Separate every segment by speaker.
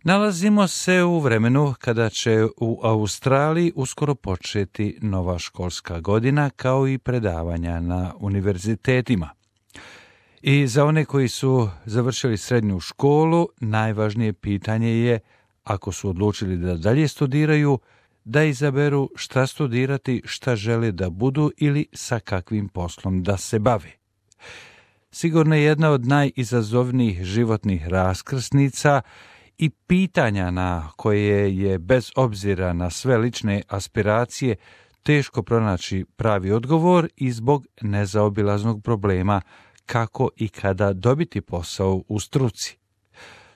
Speaker 1: Nalazimo se u vremenu kada će u Australiji uskoro početi nova školska godina kao i predavanja na univerzitetima. I za one koji su završili srednju školu, najvažnije pitanje je, ako su odlučili da dalje studiraju, da izaberu šta studirati, šta žele da budu ili sa kakvim poslom da se bave. Sigurno je jedna od najizazovnijih životnih raskrsnica i pitanja na koje je, bez obzira na sve lične aspiracije, teško pronaći pravi odgovor i zbog nezaobilaznog problema kako i kada dobiti posao u struci.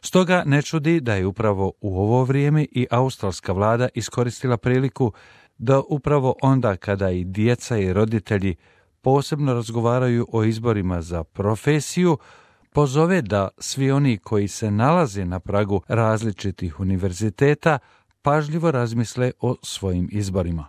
Speaker 1: Stoga ne čudi da je upravo u ovo vrijeme i australska vlada iskoristila priliku da upravo onda kada i djeca i roditelji posebno razgovaraju o izborima za profesiju, pozove da svi oni koji se nalaze na pragu različitih univerziteta pažljivo razmisle o svojim izborima.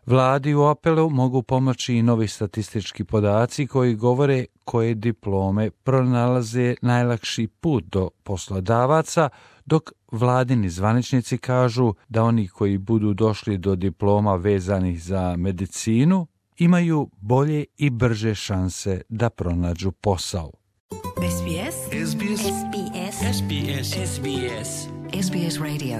Speaker 1: Vladi u apelu mogu pomoći i novi statistički podaci koji govore koje diplome pronalaze najlakši put do poslodavaca, dok vladini zvaničnici kažu da oni koji budu došli do diploma vezanih za medicinu imaju bolje i brže šanse da pronađu posao.
Speaker 2: SBS SBS SBS SBS SBS SBS Radio.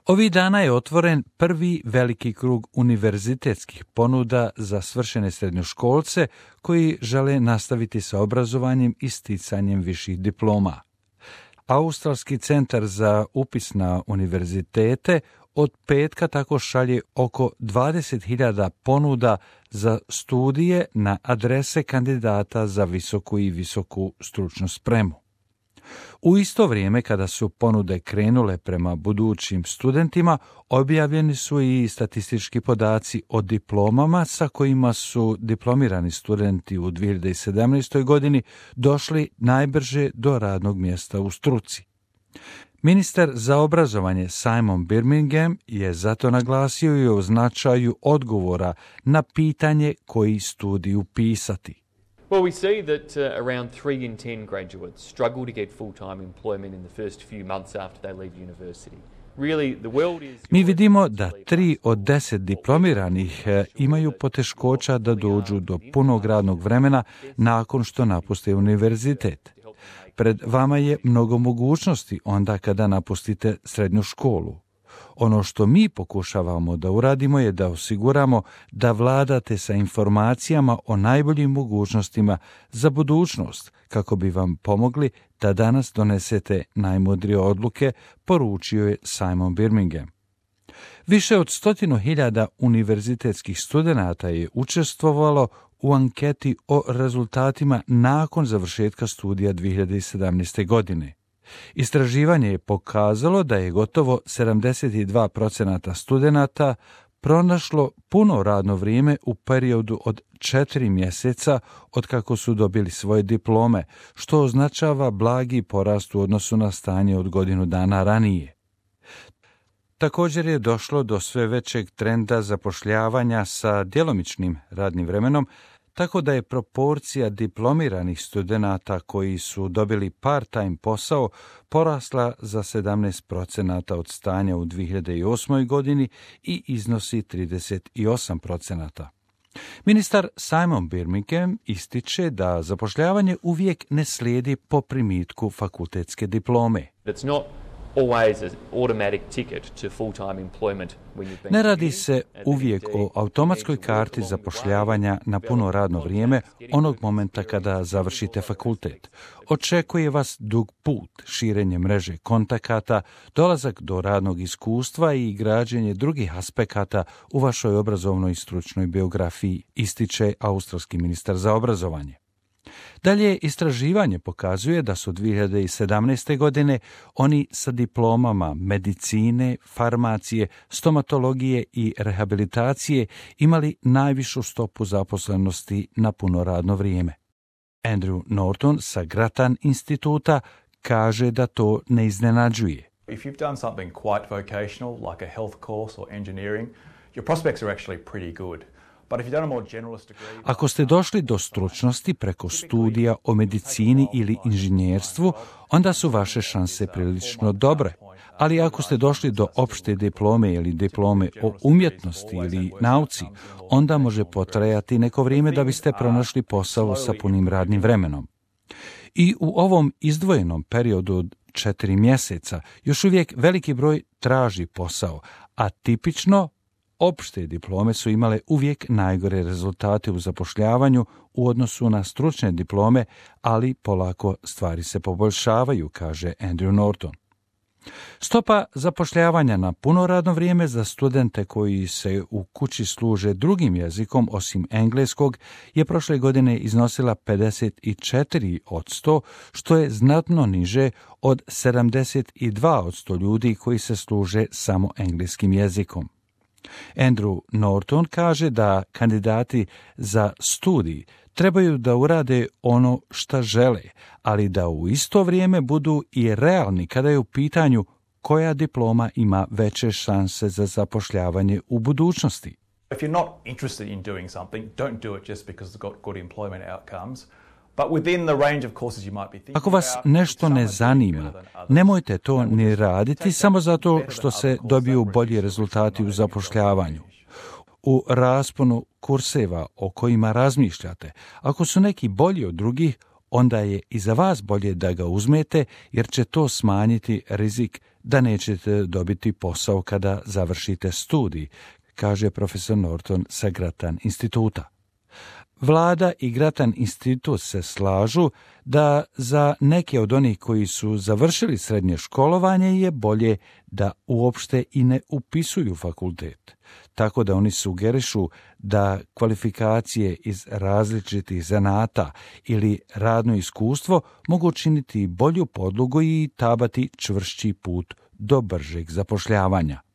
Speaker 1: Ovih dana je otvoren prvi veliki krug univerzitetskih ponuda za svršene srednjoškolce koji žele nastaviti sa obrazovanjem i sticanjem viših diploma. Australski centar za upis na univerzitete od petka tako šalje oko 20.000 ponuda za studije na adrese kandidata za visoku i visoku stručnu spremu. U isto vrijeme kada su ponude krenule prema budućim studentima, objavljeni su i statistički podaci o diplomama sa kojima su diplomirani studenti u 2017. godini došli najbrže do radnog mjesta u struci. Ministar za obrazovanje Simon Birmingham je zato naglasio i o značaju odgovora na pitanje koji studij upisati.
Speaker 3: Well, we see that around 3 in 10 graduates struggle to get full-time employment in the first few months after they leave university.
Speaker 1: Mi vidimo da 3 od 10 diplomiranih imaju poteškoća da dođu do punog radnog vremena nakon što napuste univerzitet. Pred vama je mnogo mogućnosti onda kada napustite srednju školu. Ono što mi pokušavamo da uradimo je da osiguramo da vladate sa informacijama o najboljim mogućnostima za budućnost, kako bi vam pomogli da danas donesete najmudrije odluke, poručio je Simon Birmingham. Više od 100.000 univerzitetskih studenata je učestvovalo u anketi o rezultatima nakon završetka studija 2017. godine. Istraživanje je pokazalo da je gotovo 72% studenata pronašlo puno radno vrijeme u periodu od 4 mjeseca od kako su dobili svoje diplome, što označava blagi porast u odnosu na stanje od godinu dana ranije. Također je došlo do sve većeg trenda zapošljavanja sa djelomičnim radnim vremenom, tako da je proporcija diplomiranih studenata koji su dobili part-time posao porasla za 17% od stanja u 2008. godini i iznosi 38%. Ministar Simon Birmingham ističe da zapošljavanje uvijek ne slijedi po primitku fakultetske diplome. Ne radi se uvijek o automatskoj karti zapošljavanja na puno radno vrijeme onog momenta kada završite fakultet. Očekuje vas dug put, širenje mreže kontakata, dolazak do radnog iskustva i građenje drugih aspekata u vašoj obrazovnoj i stručnoj biografiji, ističe australski ministar za obrazovanje. Dalje, istraživanje pokazuje da su 2017. godine oni sa diplomama medicine, farmacije, stomatologije i rehabilitacije imali najvišu stopu zaposlenosti na puno radno vrijeme. Andrew Norton sa Grattan instituta kaže da to ne iznenađuje.
Speaker 4: If you've done something quite vocational, like a health course or engineering, your prospects are actually pretty good.
Speaker 1: Ako ste došli do stručnosti preko studija o medicini ili inženjerstvu, onda su vaše šanse prilično dobre. Ali ako ste došli do opšte diplome ili diplome o umjetnosti ili nauci, onda može potrajati neko vrijeme da biste pronašli posao sa punim radnim vremenom. I u ovom izdvojenom periodu od 4 mjeseca još uvijek veliki broj traži posao, a tipično opšte diplome su imale uvijek najgore rezultate u zapošljavanju u odnosu na stručne diplome, ali polako stvari se poboljšavaju, kaže Andrew Norton. Stopa zapošljavanja na puno radno vrijeme za studente koji se u kući služe drugim jezikom osim engleskog je prošle godine iznosila 54%, što je znatno niže od 72% ljudi koji se služe samo engleskim jezikom. Andrew Norton kaže da kandidati za studij trebaju da urade ono šta žele, ali da u isto vrijeme budu i realni kada je u pitanju koja diploma ima veće šanse za zapošljavanje u budućnosti.
Speaker 4: If you're not interested in doing something, don't do it just because it's got good employment outcomes. But within the range of courses you might be thinking
Speaker 1: Ako vas nešto ne zanima, nemojte to ni raditi samo zato što se dobiju bolji rezultati u zapošljavanju. U rasponu kurseva o kojima razmišljate, ako su neki bolji od drugih, onda je i za vas bolje da ga uzmete, jer će to smanjiti rizik da nećete dobiti posao kada završite studij, kaže profesor Norton sa Grattan instituta. Vlada i Grattan institut se slažu da za neke od onih koji su završili srednje školovanje je bolje da uopšte i ne upisuju fakultet. Tako da oni sugerišu da kvalifikacije iz različitih zanata ili radno iskustvo mogu činiti bolju podlogu i tabati čvršći put do bržeg zapošljavanja.